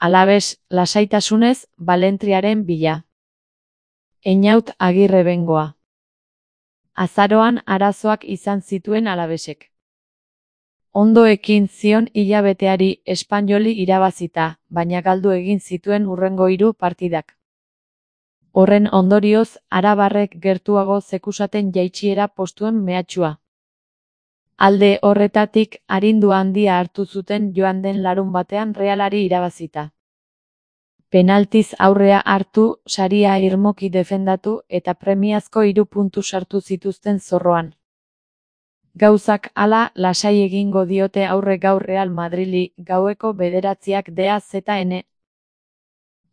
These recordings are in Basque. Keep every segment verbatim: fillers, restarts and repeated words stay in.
Alabes, lasaitasunez, Balentriaren bila. Einaut Agirre Bengoa. Azaroan arazoak izan zituen Alabesek. Ondo ekin zion hilabeteari Espainoli irabazita, baina galdu egin zituen hurrengo hiru partidak. Horren ondorioz, arabarrek gertuago zekusaten jaitsiera postuen mehatxua. Alde horretatik, arindu handia hartu zuten joan den larun batean Realari irabazita. Penaltiz aurrea hartu, saria irmoki defendatu eta premiazko hiru puntu sartu zituzten zorroan. Gauzak hala, lasai egingo diote aurre gaur Real Madrili, gaueko bederatziak D A Z N.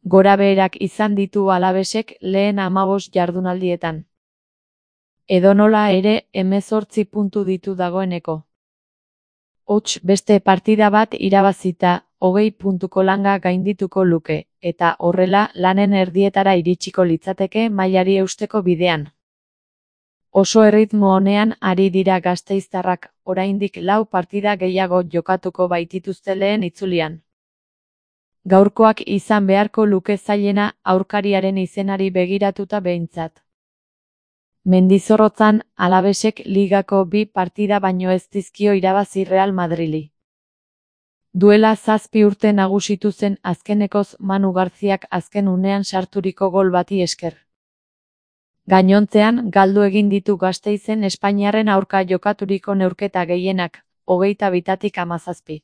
Gorabeherak izan ditu Alabesek lehen hamabost jardunaldietan. Edonola ere, hemezortzi puntu ditu dagoeneko. Hots beste partida bat irabazita, hogei puntuko langa gaindituko luke, eta horrela lanen erdietara iritsiko litzateke mailari eusteko bidean. Oso erritmo honean ari dira gasteiztarrak, oraindik lau partida gehiago jokatuko baitituzte lehen itzulian. Gaurkoak izan beharko luke zailena aurkariaren izenari begiratuta behintzat. Mendizorrotzan, Alabesek ligako bi partida baino ez dizkio irabazi Real Madrili. Duela zazpi urte nagusitu zen azkenekoz Manu Garziak azken unean sarturiko gol bati esker. Gainontzean, galdu egin ditu Gasteizen Espainiarren aurka jokaturiko neurketa gehienak, hogeita bitatik hamazazpi.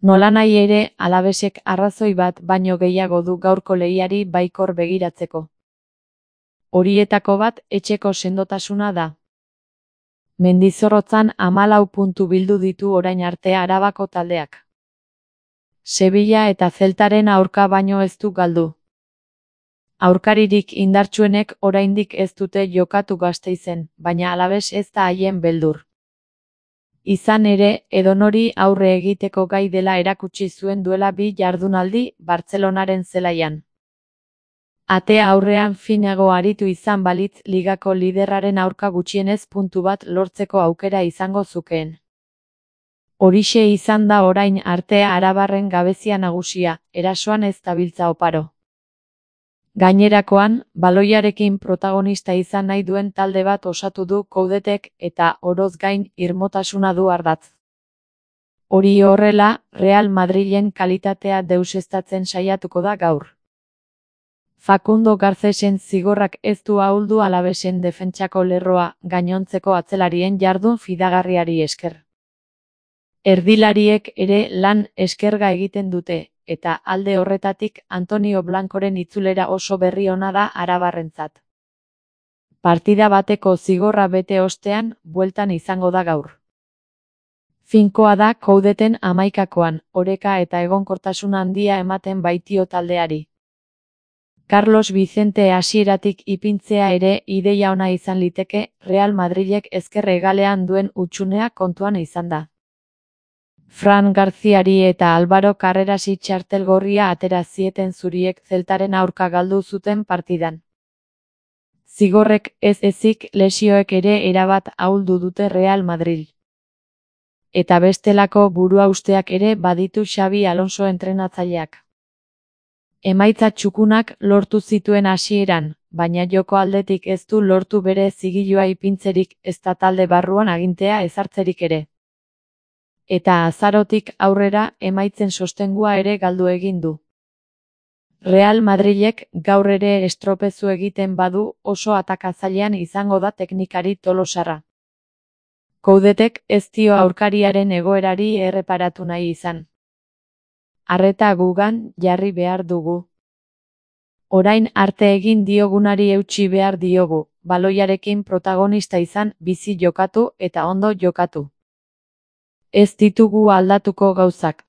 Nolanahi ere, Alabesek arrazoi bat baino gehiago du gaurko lehiari baikor begiratzeko. Horietako bat etxeko sendotasuna da. Mendizorrotzan hamalau puntu bildu ditu orain arte Arabako taldeak. Sevilla eta Zeltaren aurka baino ez du galdu. Aurkaririk indartsuenek oraindik ez dute jokatu Gasteizen, baina Alabes ez da haien beldur. Izan ere, edonori aurre egiteko gai dela erakutsi zuen duela bi jardunaldi Bartzelonaren zelaian. Atea aurrean finago aritu izan balitz ligako liderraren aurka gutxienez puntu bat lortzeko aukera izango zukeen. Horixe izan da orain arte arabarren gabezia nagusia, erasoan ez dabiltza oparo. Gainerakoan, baloiarekin protagonista izan nahi duen talde bat osatu du Coudetek eta oroz gain irmotasuna du ardatz. Hori horrela, Real Madrilen kalitatea deuseztatzen saiatuko da gaur. Facundo Garcesen zigorrak ez du ahuldu Alabesen defentsako lerroa gainontzeko atzelarien jardun fidagarriari esker. Erdilariek ere lan eskerga egiten dute, eta alde horretatik Antonio Blancoren itzulera oso berri ona da arabarrentzat. Partida bateko zigorra bete ostean, bueltan izango da gaur. Finkoa da Coudeten hamaikakoan, oreka eta egonkortasun handia ematen baitio taldeari. Carlos Vicente hasieratik ipintzea ere ideia ona izan liteke, Real Madrilek ezker hegalean duen hutsunea kontuan izan da. Fran Garziari eta Álvaro Carrerasi txartel gorria atera zieten zuriek Zeltaren aurka galdu zuten partidan. Zigorrek ez ezik lesioek ere erabat ahuldu dute Real Madril. Eta bestelako buruhausteak ere baditu Xabi Alonso entrenatzaileak. Emaitza txukunak lortu zituen hasieran, baina joko aldetik ez du lortu bere zigilua ipintzerik ezta talde barruan agintea ezartzerik ere. Eta azarotik aurrera emaitzen sostengua ere galdu egin du. Real Madrilek gaur ere estropezu egiten badu oso atakatzailean izango da teknikari tolosarra. Coudetek ez dio aurkariaren egoerari erreparatu nahi izan. Arreta gugan jarri behar dugu. Orain arte egin diogunari eutsi behar diogu, baloiarekin protagonista izan, bizi jokatu eta ondo jokatu. Ez ditugu aldatuko gauzak,